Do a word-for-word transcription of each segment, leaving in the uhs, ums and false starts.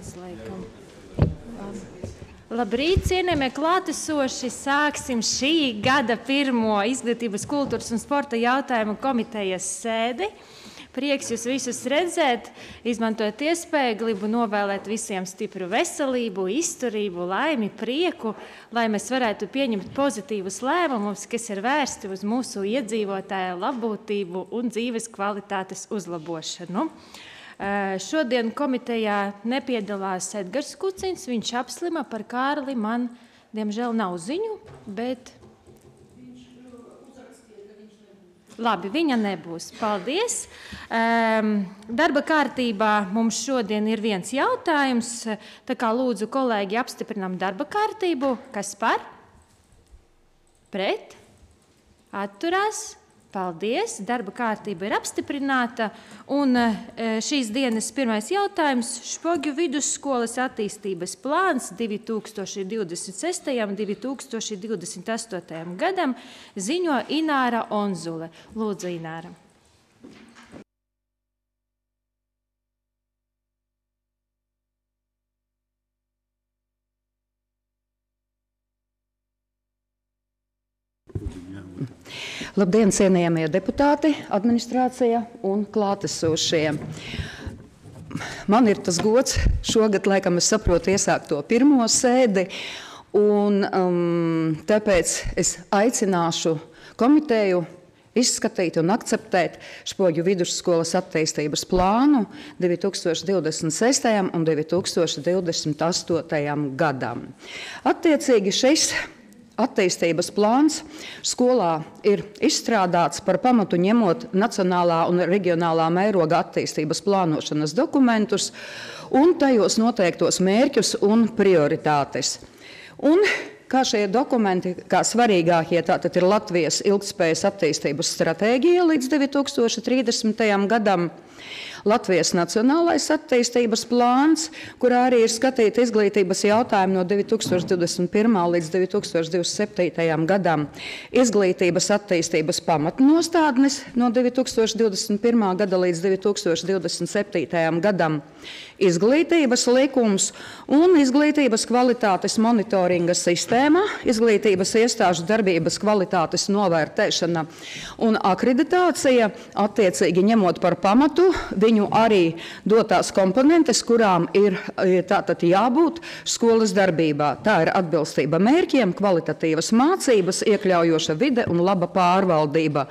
Aizliekam. Labrīt, cienījamie klātesoši! Sāksim šī gada pirmo izglītības, kultūras un sporta jautājumu komitejas sēdi. Prieks jūs visus redzēt, izmantojot iespēju, gribu novēlēt visiem stipru veselību, izturību, laimi, prieku, lai mēs varētu pieņemt pozitīvus lēmumus, kas ir vērsti uz mūsu iedzīvotāju labbūtību un dzīves kvalitātes uzlabošanu. Šodien komitejā nepiedalās Edgars Kuciņš, viņš apslima par Kārli, man, diemžēl, nav ziņu, bet... Labi, viņa nebūs. Paldies. Darba kārtībā mums šodien ir viens jautājums, tā kā lūdzu kolēģi apstiprinām darba kārtību. Kas par? Pret? Atturās? Paldies. Darba kārtība ir apstiprināta. Un šīs dienas pirmais jautājums – Špogļu vidusskolas attīstības plāns divi tūkstoši divdesmit sestajam un divi tūkstoši divdesmit astotajam gadam ziņo Ināra Onzule. Lūdzu, Ināra. Labdien, cienījamie deputāti, administrācija un klātesošie. Man ir tas gods šogad, laikam es saprotu, iesākt to pirmo sēdi, un um, tāpēc es aicināšu komiteju izskatīt un akceptēt Špogļu vidusskolas attīstības plānu divi tūkstoši divdesmit sestajam un divi tūkstoši divdesmit astotajam gadam. Attiecīgi šis attīstības plāns skolā ir izstrādāts par pamatu ņemot nacionālā un reģionālā mēroga attīstības plānošanas dokumentus un tajos noteiktos mērķus un prioritātes. Un kā šie dokumenti, kā svarīgākie, tātad ir Latvijas ilgtspējas attīstības stratēģija līdz divi tūkstoši trīsdesmitajam gadam, Latvijas nacionālais attīstības plāns, kurā arī ir skatīta izglītības jautājumi no divi tūkstoši divdesmit pirmā līdz divi tūkstoši divdesmit septītajam gadam, izglītības attīstības pamatnostādnes no divi tūkstoši divdesmit pirmā gada līdz divi tūkstoši divdesmit septītajam gadam, izglītības likums un izglītības kvalitātes monitoringa sistēma, izglītības iestāžu darbības kvalitātes novērtēšana un akreditācija, attiecīgi ņemot par pamatu viņu arī dotās komponentes, kurām ir tātad jābūt skolas darbībā. Tā ir atbilstība mērķiem, kvalitatīvas mācības, iekļaujoša vide un laba pārvaldība.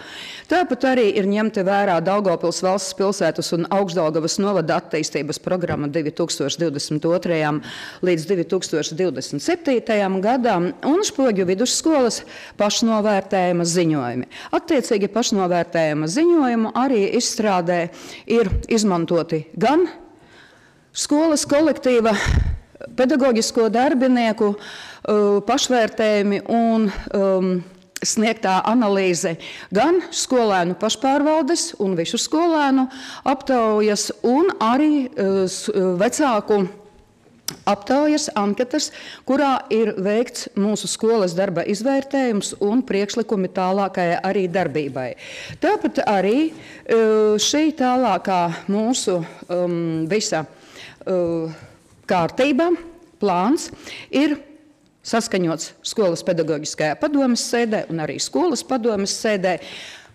Tāpat arī ir ņemti vērā Daugavpils valsts pilsētas un Augšdaugavas novada attīstības programma divi tūkstoši divdesmit otrajam līdz divi tūkstoši divdesmit septītajam gadam un Špogļu vidusskolas pašnovērtējuma ziņojumi. Attiecīgi pašnovērtējuma ziņojumu arī izstrādē ir izmantoti gan skolas kolektīva pedagoģisko darbinieku pašvērtējumi un um, sniegtā analīze, gan skolēnu pašpārvaldes un visu skolēnu aptaujas un arī uh, vecāku aptaujas anketas, kurā ir veikts mūsu skolas darba izvērtējums un priekšlikumi tālākajai arī darbībai. Tāpat arī šī tālākā mūsu um, visa uh, kārtība, plāns ir saskaņots skolas pedagoģiskajā padomes sēdē un arī skolas padomes sēdē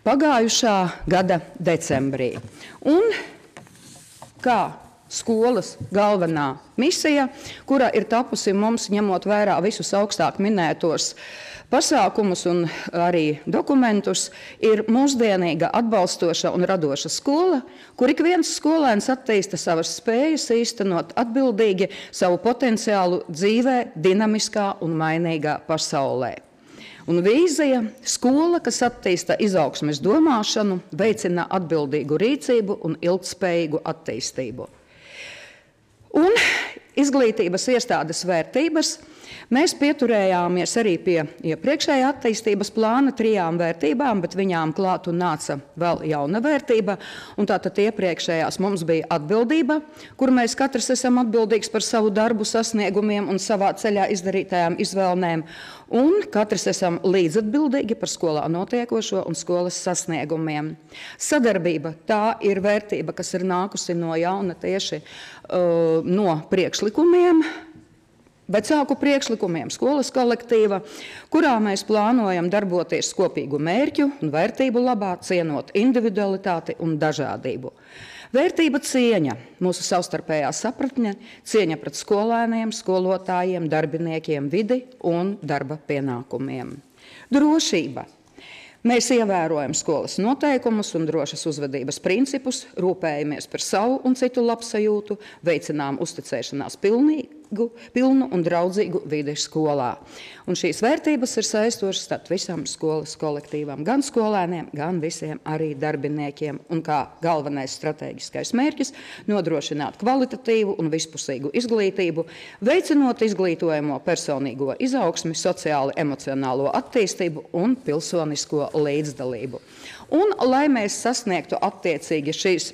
pagājušā gada decembrī. Un kā skolas galvenā misija, kura ir tapusi mums ņemot vērā visus augstāk minētos pasākumus un arī dokumentus, ir mūsdienīga, atbalstoša un radoša skola, kur ik viens skolēns attīsta savas spējas īstenot atbildīgi savu potenciālu dzīvē, dinamiskā un mainīgā pasaulē. Un vīzija – skola, kas attīsta izaugsmes domāšanu, veicina atbildīgu rīcību un ilgtspējīgu attīstību. Un izglītības iestādes vērtības Mēs pieturējāmies arī pie iepriekšējā attīstības plāna trijām vērtībām, bet viņām klāt un nāca vēl jauna vērtība. Un tātad iepriekšējās mums bija atbildība, kur mēs katrs esam atbildīgs par savu darbu sasniegumiem un savā ceļā izdarītajām izvēlēm. Un katrs esam līdzatbildīgi par skolā notiekošo un skolas sasniegumiem. Sadarbība tā ir vērtība, kas ir nākusi no jauna tieši uh, no priekšlikumiem, vecāku priekšlikumiem, skolas kolektīva, kurā mēs plānojam darboties kopīgu mērķu un vērtību labā, cienot individualitāti un dažādību. Vērtība cieņa, mūsu savstarpējā sapratne, cieņa pret skolēniem, skolotājiem, darbiniekiem, vidi un darba pienākumiem. Drošība. Mēs ievērojam skolas noteikumus un drošas uzvedības principus, rūpējamies par savu un citu labsajūtu, veicinām uzticēšanās pilnīgu, pilnu un draudzīgu vidi skolā. Un šīs vērtības ir saistošas starp visam skolas kolektīvam, gan skolēniem, gan visiem arī darbiniekiem. Un kā galvenais stratēģiskais mērķis nodrošināt kvalitatīvu un vispusīgu izglītību, veicinot izglītojamo personīgo izaugsmi, sociāli emocionālo attīstību un pilsonisko līdzdalību. Un, lai mēs sasniegtu attiecīgi šīs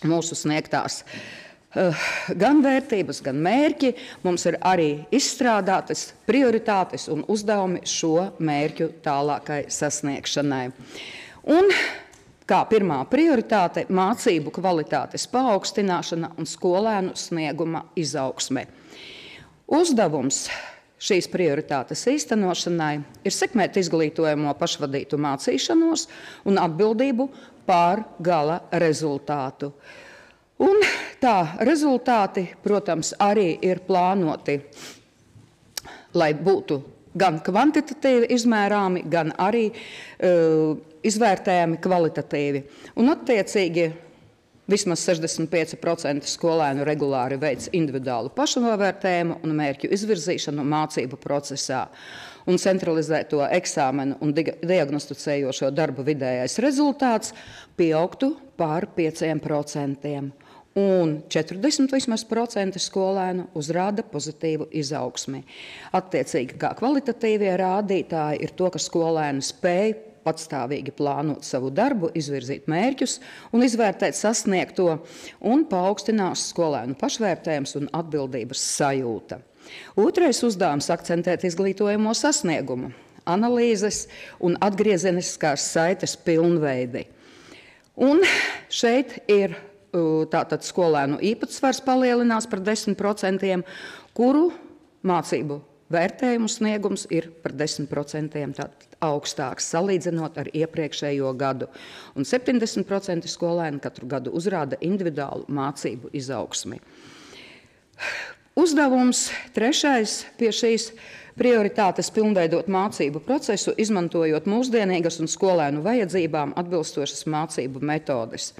mūsu sniegtās uh, gan vērtības, gan mērķi, mums ir arī izstrādātas prioritātes un uzdevumi šo mērķu tālākai sasniegšanai. Un kā pirmā prioritāte – mācību kvalitātes paaugstināšana un skolēnu snieguma izaugsme. Uzdevums šīs prioritātes īstenošanai ir sekmēt izglītojamo pašvadītu mācīšanos un atbildību pār gala rezultātu. Un tā rezultāti, protams, arī ir plānoti, lai būtu gan kvantitatīvi izmērāmi, gan arī uh, izvērtējami kvalitatīvi. Un attiecīgi vismaz sešdesmit pieci procenti skolēnu regulāri veic individuālu pašnovērtējumu un mērķu izvirzīšanu mācību procesā. Un centralizēto eksāmenu un diagnosticējošo darbu vidējais rezultāts pieaugtu pār pieciem procentiem. Un četrdesmit vismaz procenti skolēnu uzrāda pozitīvu izaugsmi. Attiecīgi, kā kvalitatīvie rādītāji ir to, ka skolēni spēj patstāvīgi plānot savu darbu, izvirzīt mērķus un izvērtēt sasniegto, un paaugstinās skolēnu pašvērtējums un atbildības sajūta. Otrais uzdevums – akcentēt izglītojamo sasniegumu, analīzes un atgriezeniskās saites pilnveidi. Un šeit ir tātad skolēnu īpatsvars palielinās par desmit procentiem, kuru mācību vērtējumu sniegums ir par desmit procentiem augstāks, salīdzinot ar iepriekšējo gadu. Un septiņdesmit procenti skolēni katru gadu uzrāda individuālu mācību izaugsmi. Uzdevums trešais pie šīs prioritātes pilnveidot mācību procesu, izmantojot mūsdienīgas un skolēnu vajadzībām atbilstošas mācību metodes.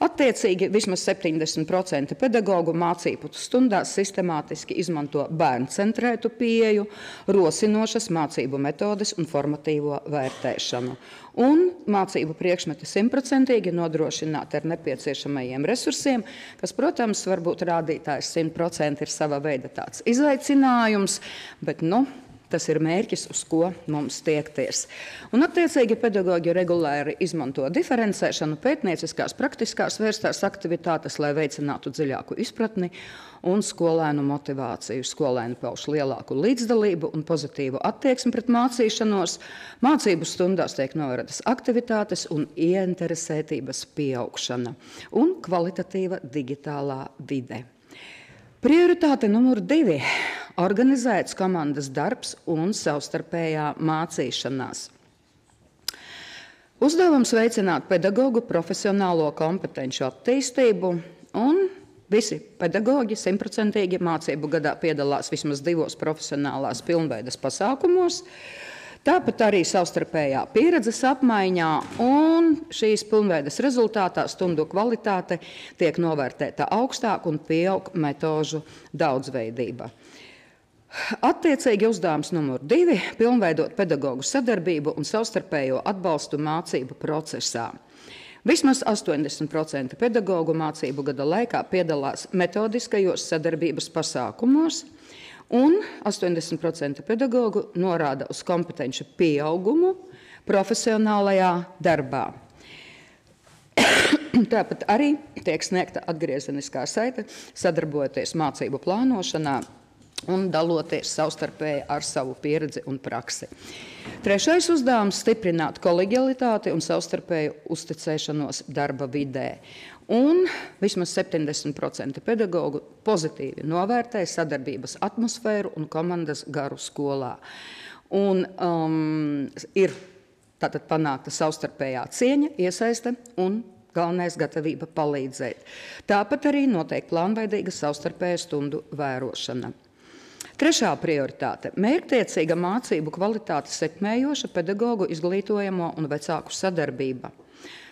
Attiecīgi, vismaz septiņdesmit procenti pedagogu mācību stundās sistemātiski izmanto bērncentrētu pieeju, rosinošas mācību metodes un formatīvo vērtēšanu. Un mācību priekšmeti simtprocentīgi nodrošināt ar nepieciešamajiem resursiem, kas, protams, varbūt rādītājs simt procenti ir sava veida tāds izaicinājums, bet, nu, tas ir mērķis, uz ko mums tiekties. Un, attiecīgi, pedagoģi regulāri izmanto diferencēšanu, pētnieciskās, praktiskās vērstās aktivitātes, lai veicinātu dziļāku izpratni un skolēnu motivāciju. Skolēni pauž lielāku līdzdalību un pozitīvu attieksmi pret mācīšanos. Mācību stundās tiek novērtas aktivitātes un ieinteresētības pieaugšana un kvalitatīva digitālā vide. Prioritāte numur divi – organizēts komandas darbs un savstarpējā mācīšanās. Uzdevums veicināt pedagogu profesionālo kompetenci attīstību, un visi pedagoģi simtprocentīgi mācību gadā piedalās vismaz divos profesionālās pilnveidas pasākumos, tāpat arī savstarpējā pieredzes apmaiņā, un šīs pilnveidas rezultātā stundu kvalitāte tiek novērtēta augstāk un pieaug metožu daudzveidība. Attiecīgi uzdevums numur divi – pilnveidot pedagogu sadarbību un savstarpējo atbalstu mācību procesā. Vismaz astoņdesmit procenti pedagogu mācību gada laikā piedalās metodiskajos sadarbības pasākumos, Un astoņdesmit procenti pedagogu norāda uz kompetenci pieaugumu profesionālajā darbā. Tāpat arī tiek sniegta atgriezeniskā saite, sadarbojoties mācību plānošanā un daloties savstarpēji ar savu pieredzi un praksi. Trešais uzdevums – stiprināt kolegialitāti un savstarpēju uzticēšanos darba vidē. Un vismaz septiņdesmit procenti pedagogu pozitīvi novērtē sadarbības atmosfēru un komandas garu skolā. Un um, ir tātad panākta savstarpējā cieņa, iesaiste un galvenais gatavība palīdzēt. Tāpat arī notiek plānveidīga savstarpēja stundu vērošana. Trešā prioritāte – mērķtiecīga mācību kvalitāti sekmējoša pedagogu izglītojamo un vecāku sadarbība.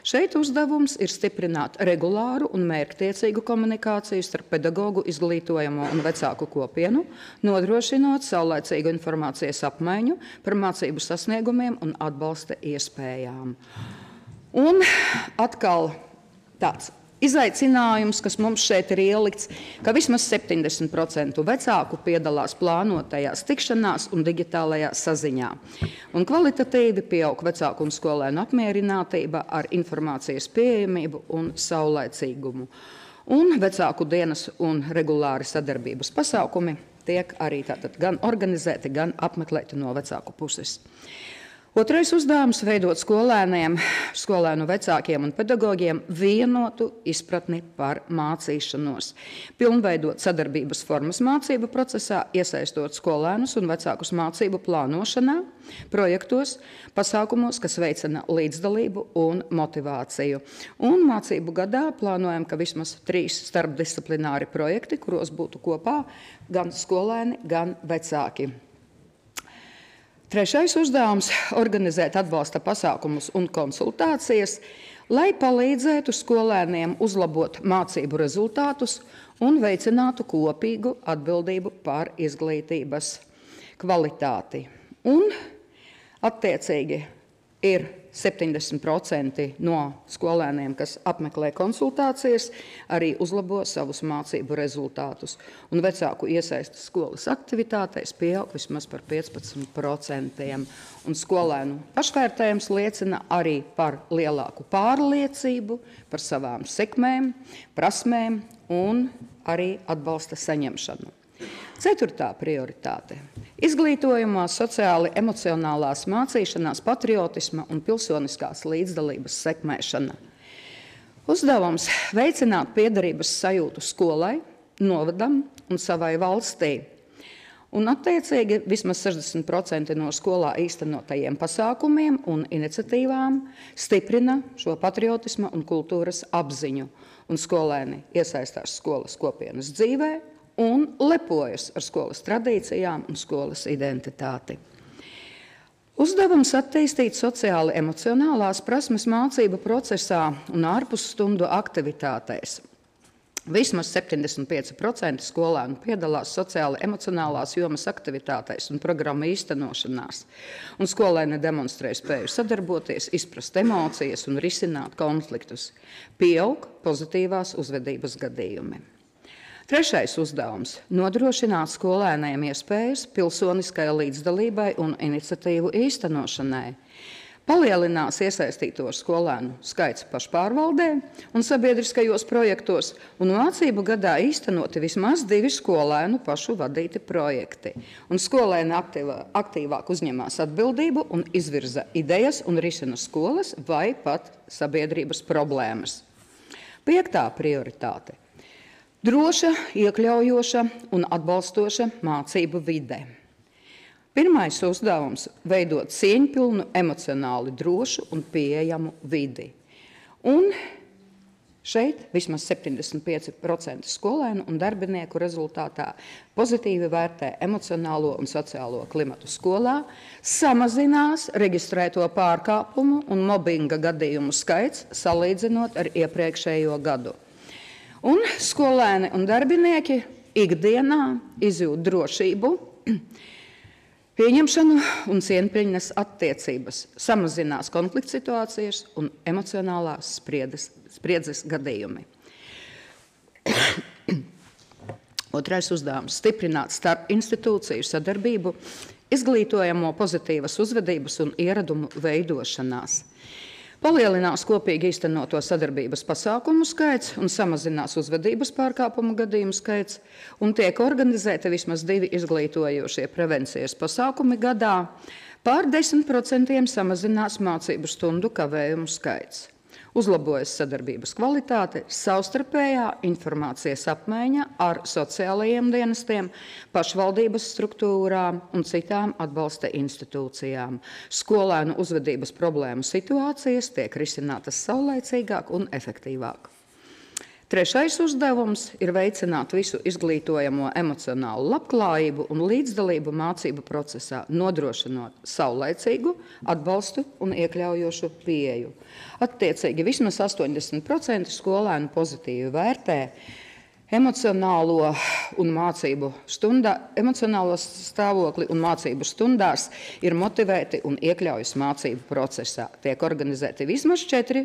Šeit uzdevums ir stiprināt regulāru un mērķtiecīgu komunikāciju starp pedagogu izglītojamo un vecāku kopienu, nodrošinot saulaicīgu informācijas apmaiņu par mācību sasniegumiem un atbalsta iespējām. Un atkal tāds izaicinājums, kas mums šeit ir ielikts, ka vismaz septiņdesmit procenti vecāku piedalās plānotajās tikšanās un digitālajā saziņā. Un kvalitatīvi pieaug vecāku un skolēnu apmierinātība ar informācijas pieejamību un saulaicīgumu. Un vecāku dienas un regulāri sadarbības pasākumi tiek arī tātad gan organizēti, gan apmeklēti no vecāku puses. Otrais uzdevums – veidot skolēniem, skolēnu vecākiem un pedagogiem vienotu izpratni par mācīšanos. Pilnveidot sadarbības formas mācību procesā, iesaistot skolēnus un vecākus mācību plānošanā, projektos, pasākumos, kas veicina līdzdalību un motivāciju. Un mācību gadā plānojam, ka vismaz trīs starpdisciplināri projekti, kuros būtu kopā gan skolēni, gan vecāki. Trešais uzdevums – organizēt atbalsta pasākumus un konsultācijas, lai palīdzētu skolēniem uzlabot mācību rezultātus un veicinātu kopīgu atbildību par izglītības kvalitāti. Un attiecīgi ir septiņdesmit procenti no skolēniem, kas apmeklē konsultācijas, arī uzlabo savus mācību rezultātus. Un vecāku iesaistas skolas aktivitātēs pieaug vismaz par piecpadsmit procentiem. Un skolēnu pašvērtējums liecina arī par lielāku pārliecību, par savām sekmēm, prasmēm un arī atbalsta saņemšanu. Ceturtā prioritāte – izglītojumā sociāli emocionālās mācīšanās, patriotisma un pilsoniskās līdzdalības sekmēšana. Uzdevums – veicināt piederības sajūtu skolai, novadam un savai valstī. Un attiecīgi vismaz sešdesmit procenti no skolā īstenotajiem pasākumiem un iniciatīvām stiprina šo patriotisma un kultūras apziņu. Un skolēni iesaistās skolas kopienas dzīvē un lepojas ar skolas tradīcijām un skolas identitāti. Uzdevums attīstīt sociāli emocionālās prasmes mācību procesā un ārpus stundu aktivitātēs. Vismaz septiņdesmit pieci procenti skolēnu piedalās sociāli emocionālās jomas aktivitātēs un programmu īstenošanās. Un skolēni demonstrē spēju sadarboties, izprast emocijas un risināt konfliktus. Pieaug pozitīvās uzvedības gadījumi. Trešais uzdevums – nodrošināt skolēniem iespējas pilsoniskai līdzdalībai un iniciatīvu īstenošanai. Palielinās iesaistīto skolēnu skaits pašpārvaldē un sabiedriskajos projektos, un mācību gadā īstenoti vismaz divi skolēnu pašu vadīti projekti. Un skolēni aktīvā, aktīvāk uzņemās atbildību un izvirza idejas un risina skolas vai pat sabiedrības problēmas. Piektā prioritāte – droša, iekļaujoša un atbalstoša mācību vide. Pirmais uzdevums – veidot cieņpilnu, emocionāli drošu un pieejamu vidi. Un šeit vismaz septiņdesmit pieci procenti skolēnu un darbinieku rezultātā pozitīvi vērtē emocionālo un sociālo klimatu skolā, samazinās reģistrēto pārkāpumu un mobbinga gadījumu skaits salīdzinot ar iepriekšējo gadu. Un skolēni un darbinieki ikdienā izjūt drošību, pieņemšanu un cieņpilnas attiecības, samazinās konflikts situācijas un emocionālās spriedzes, spriedzes gadījumi. Otrais uzdevums – stiprināt starp institūciju sadarbību, izglītojamo pozitīvas uzvedības un ieradumu veidošanās. Palielinās kopīgi īstenoto sadarbības pasākumu skaits un samazinās uzvedības pārkāpumu gadījumu skaits, un tiek organizēti vismaz divi izglītojošie prevencijas pasākumi gadā. Pār desmit procentiem samazinās mācību stundu kavējumu skaits. Uzlabojas sadarbības kvalitāte, savstarpējā informācijas apmaiņa ar sociālajiem dienestiem, pašvaldības struktūrām un citām atbalsta institūcijām. Skolēnu uzvedības problēmu situācijas tiek risinātas saulaicīgāk un efektīvāk. Trešais uzdevums ir veicināt visu izglītojamo emocionālu labklājību un līdzdalību mācību procesā, nodrošinot saulaicīgu atbalstu un iekļaujošu pieeju. Attiecīgi vismaz astoņdesmit procenti skolēnu pozitīvi vērtē emocionālo un mācību stundā, emocionālo stāvokli un mācību stundās ir motivēti un iekļaujas mācību procesā. Tiek organizēti vismaz četri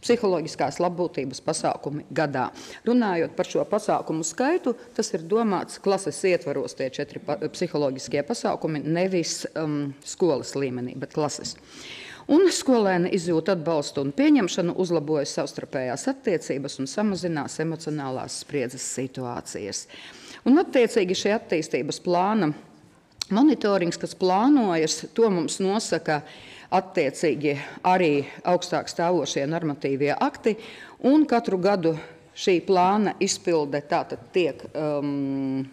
psiholoģiskās labbūtības pasākumi gadā. Runājot par šo pasākumu skaitu, tas ir domāts klases ietvaros tie četri psiholoģiskie pasākumi, nevis um, skolas līmenī, bet klases. Un skolēni izjūt atbalstu un pieņemšanu, uzlabojas savstarpējās attiecības un samazinās emocionālās spriedzes situācijas. Un attiecīgi šie attīstības plāna monitorings, kas plānojas, to mums nosaka attiecīgi arī augstāk stāvošie normatīvie akti, un katru gadu šī plāna izpilde tātad tiek um,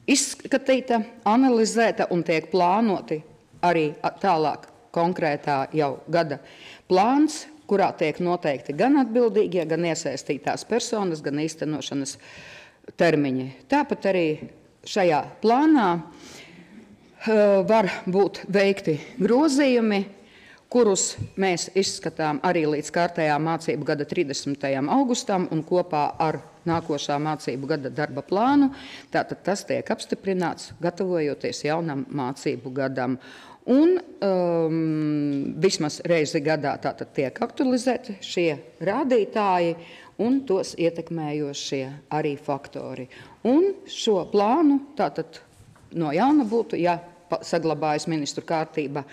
izskatīta, analizēta un tiek plānoti arī tālāk konkrētā jau gada plāns, kurā tiek noteikti gan atbildīgie, gan iesaistītās personas, gan īstenošanas termiņi. Tāpat arī šajā plānā uh, var būt veikti grozījumi, kurus mēs izskatām arī līdz kārtējā mācību gada trīsdesmitajam augustam un kopā ar nākošā mācību gada darba plānu. Tātad tas tiek apstiprināts, gatavojoties jaunam mācību gadam. Un um, vismaz reizi gadā tātad tiek aktualizēti šie rādītāji un tos ietekmējošie arī faktori. Un šo plānu tātad no jauna būtu, ja saglabājas ministru kārtība,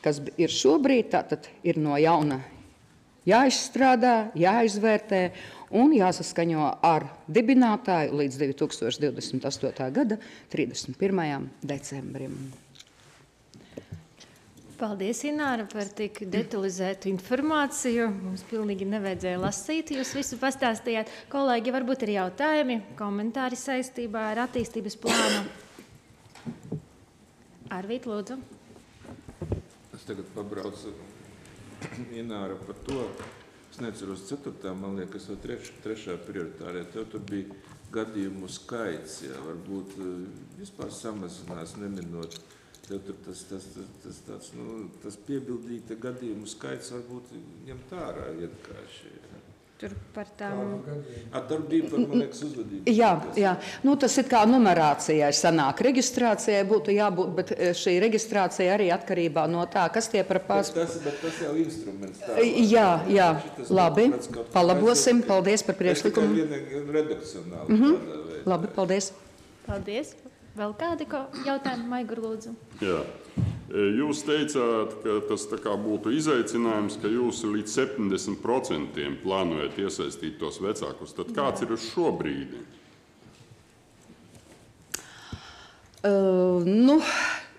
kas ir šobrīd, tātad ir no jauna jāizstrādā, jāizvērtē un jāsaskaņo ar dibinātāju līdz divi tūkstoši divdesmit astotā gada trīsdesmit pirmajam decembrim. Paldies, Ināra, par tik detalizētu informāciju. Mums pilnīgi nevajadzēja lasīt, jūs visu pastāstījāt. Kolēģi, varbūt ir jautājumi, komentāri saistībā ar attīstības plānu. Arvīt, lūdzu. Es tagad pabraucu Ināra par to. Es neceros ceturtā, man liekas, vai treš, trešā prioritārē. Tev tur bija gadījumu skaits, jā, varbūt vispār samazinās, neminot. Tev tur tas, tas, tas, tas, tāds, nu, tas piebildīta gadījumu skaits varbūt ņemt ārā iedkāši. Tur par tām... A, tur bija par, man liekas, uzvedību. Jā, jā. Nu, tas ir kā numerācijai sanāk. Reģistrācijai būtu jābūt, bet šī reģistrācija arī atkarībā no tā, kas tie par pās... Bet tas, bet tas jau instruments. Tā, jā, jā, labi. Palabosim. Paldies par priekšlikumu. Es tikai viena redakcionāli. Mm-hmm. Labi, paldies. Paldies. Vēl kādi jautājumi, Maigur, lūdzu? Jā. Jūs teicāt, ka tas tā kā būtu izaicinājums, ka jūs līdz septiņdesmit procentiem plānojat iesaistīt tos vecākus. Tad kāds Jā. ir uz šo brīdi? Uh, nu,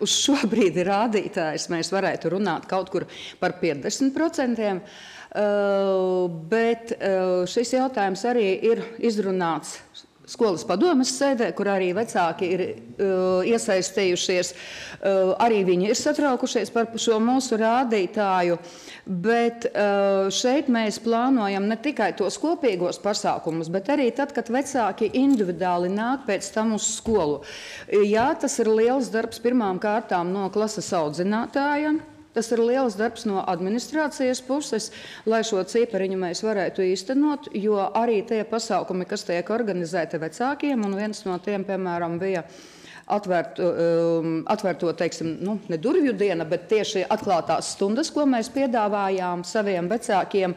uz šo brīdi rādītājs mēs varētu runāt kaut kur par piecdesmit procentiem, uh, bet uh, šis jautājums arī ir izrunāts skolas padomes sēdē, kur arī vecāki ir uh, iesaistījušies, uh, arī viņi ir satraukušies par šo mūsu rādītāju, bet uh, šeit mēs plānojam ne tikai tos kopīgos pasākumus, bet arī tad, kad vecāki individuāli nāk pēc tam uz skolu. Jā, tas ir liels darbs pirmām kārtām no klases audzinātāja. Tas ir liels darbs no administrācijas puses, lai šo cipariņu mēs varētu īstenot, jo arī tie pasākumi, kas tiek organizēti vecākiem, un viens no tiem, piemēram, bija atvērto, um, atvērto teiksim, nu, ne durvju diena, bet tieši atklātās stundas, ko mēs piedāvājām saviem vecākiem,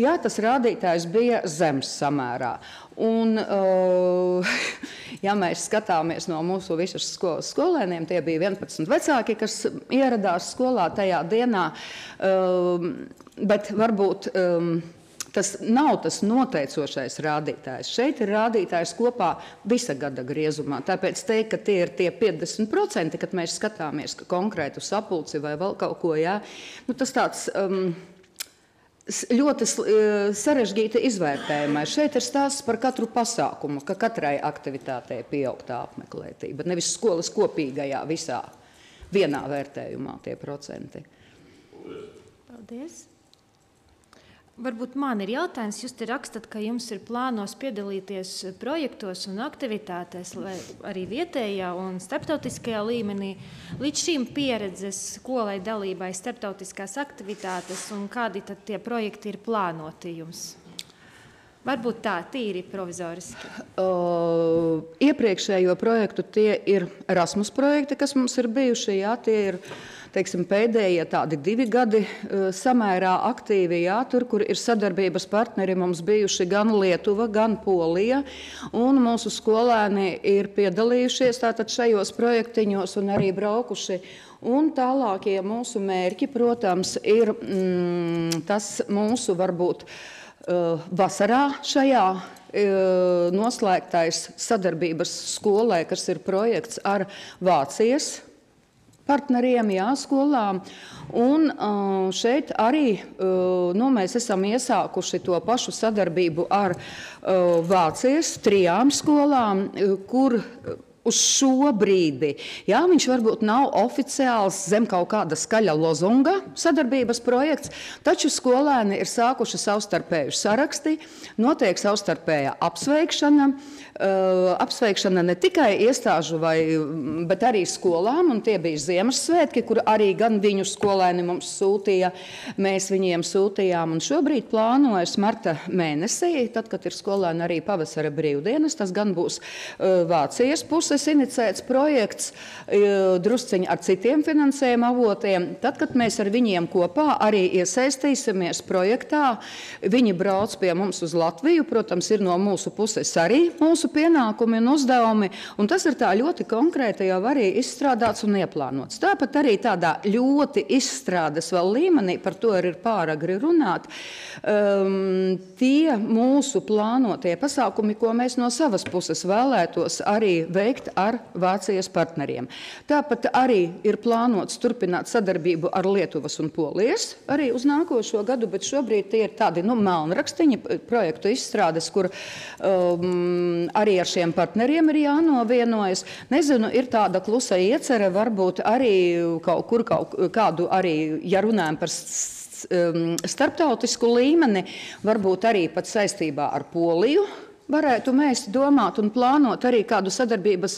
jā, tas rādītājs bija zems samērā. Un, uh, ja mēs skatāmies no mūsu visas skolas skolēniem, tie bija vienpadsmit vecāki, kas ieradās skolā tajā dienā, um, bet varbūt um, tas nav tas noteicošais rādītājs. Šeit ir rādītājs kopā visa gada griezumā. Tāpēc teikt, ka tie ir tie piecdesmit procenti, kad mēs skatāmies konkrētu sapulci vai vēl kaut ko, jā, nu, tas tāds... Um, ļoti sarežģīta izvērtējumā. Šeit ir stāsts par katru pasākumu, ka katrai aktivitātei pieaug tā apmeklētība. Nevis skolas kopīgajā visā vienā vērtējumā tie procenti. Paldies. Varbūt man ir jautājums, jūs te rakstat, ka jums ir plānos piedalīties projektos un aktivitātēs, arī vietējā un starptautiskajā līmenī. Līdz šīm pieredzes skolai dalībai starptautiskās aktivitātes un kādi tad tie projekti ir plānoti jums? Varbūt tā, tīri provizoriski. Uh, iepriekšējo projektu tie ir Erasmus projekti, kas mums ir bijuši, jā, tie ir teiksim, pēdējie tādi divi gadi uh, samērā aktīvi, jā, tur, kur ir sadarbības partneri mums bijuši gan Lietuva, gan Polija, un mūsu skolēni ir piedalījušies tātad šajos projektiņos un arī braukuši. Un tālākie mūsu mērķi, protams, ir mm, tas mūsu varbūt uh, vasarā šajā uh, noslēgtais sadarbības skolē, kas ir projekts ar Vācijas partneriem, jā, skolām. Un uh, šeit arī uh, nu, mēs esam iesākuši to pašu sadarbību ar uh, Vācijas trijām skolām, uh, kur uh, uz šo brīdi, jā, viņš varbūt nav oficiāls zem kaut kāda skaļa lozunga sadarbības projekts, taču skolēni ir sākuši savstarpēju saraksti, notiek savstarpēja apsveikšana, uh, apsveikšana ne tikai iestāžu, vai, bet arī skolām, un tie bija Ziemassvētki, kur arī gan viņu skolēni mums sūtīja, mēs viņiem sūtījām, un šobrīd plānojas marta mēnesī, tad, kad ir skolēni arī pavasara brīvdienas, tas gan būs uh, Vācijas puses inicēts projekts, drusciņi ar citiem finansējuma avotiem. Tad, kad mēs ar viņiem kopā arī iesaistīsimies projektā, viņi brauc pie mums uz Latviju, protams, ir no mūsu puses arī mūsu pienākumi un uzdevumi, un tas ir tā ļoti konkrēti jau arī izstrādāts un ieplānots. Tāpat arī tādā ļoti izstrādes vēl līmenī, par to ir pāragri runāt, um, tie mūsu plānotie pasākumi, ko mēs no savas puses vēlētos arī veikt ar Vācijas partneriem. Tāpat arī ir plānots turpināt sadarbību ar Lietuvas un Polijas arī uz nākošo gadu, bet šobrīd tie ir tādi nu, melnrakstiņi projektu izstrādes, kur um, arī ar šiem partneriem ir jānovienojas. Nezinu, ir tāda klusa iecere, varbūt arī kaut kur kaut kādu arī, ja runājam par starptautisku līmeni, varbūt arī pat saistībā ar Poliju, varētu mēs domāt un plānot arī kādu sadarbības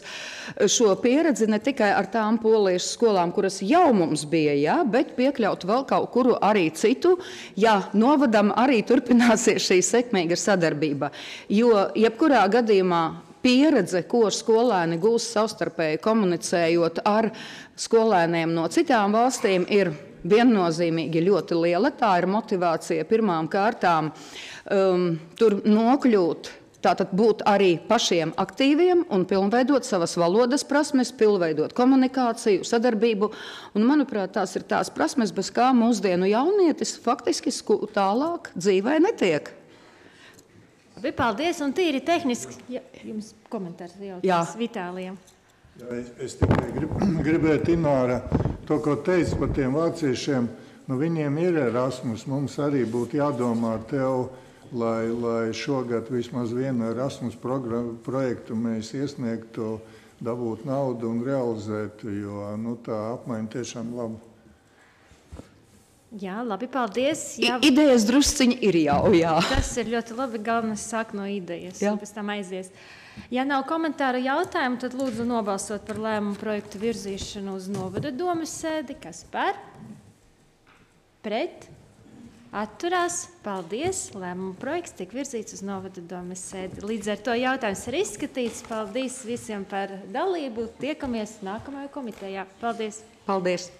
šo pieredzi ne tikai ar tām polijas skolām, kuras jau mums bija, jā, bet piekļaut vēl kaut kuru arī citu, ja novadam arī turpināsies šī sekmīga sadarbība. Jo jebkurā gadījumā pieredze, ko skolēni gūs savstarpēji komunicējot ar skolēniem no citām valstīm, ir viennozīmīgi ļoti liela. Tā ir motivācija pirmām kārtām um, tur nokļūt. Tātad būt arī pašiem aktīviem un pilnveidot savas valodas prasmes, pilnveidot komunikāciju, sadarbību. Un, manuprāt, tās ir tās prasmes, bez kā mūsdienu jaunietis faktiski tālāk dzīvē netiek. Paldies, un tīri tehniski. Ja, jums komentārs jautājums Vitālijam. Jā, es, es tikai grib, gribēju, Ināra, to, ko teicu par tiem vāciešiem, nu viņiem ir Erasmus, mums arī būtu jādomā ar tev, Lai, lai šogad vismaz vienu Erasmus projektu mēs iesniegtu, dabūt naudu un realizētu, jo nu, tā apmaiņa tiešām laba. Jā, labi, paldies. Jā. Idejas drusciņi ir jau, jā. Tas ir ļoti labi, galvenais sāk no idejas, jā. Un pēc tam aizies. Ja nav komentāru jautājumu, tad lūdzu nobalsot par lēmumu projektu virzīšanu uz novada domes sēdi. Kas par? Pret? Atturās. Paldies. Lēmuma projekts tiek virzīts uz novada domes sēdi. Līdz ar to jautājums ir izskatīts. Paldies visiem par dalību. Tiekamies nākamajā komitejā. Paldies. Paldies.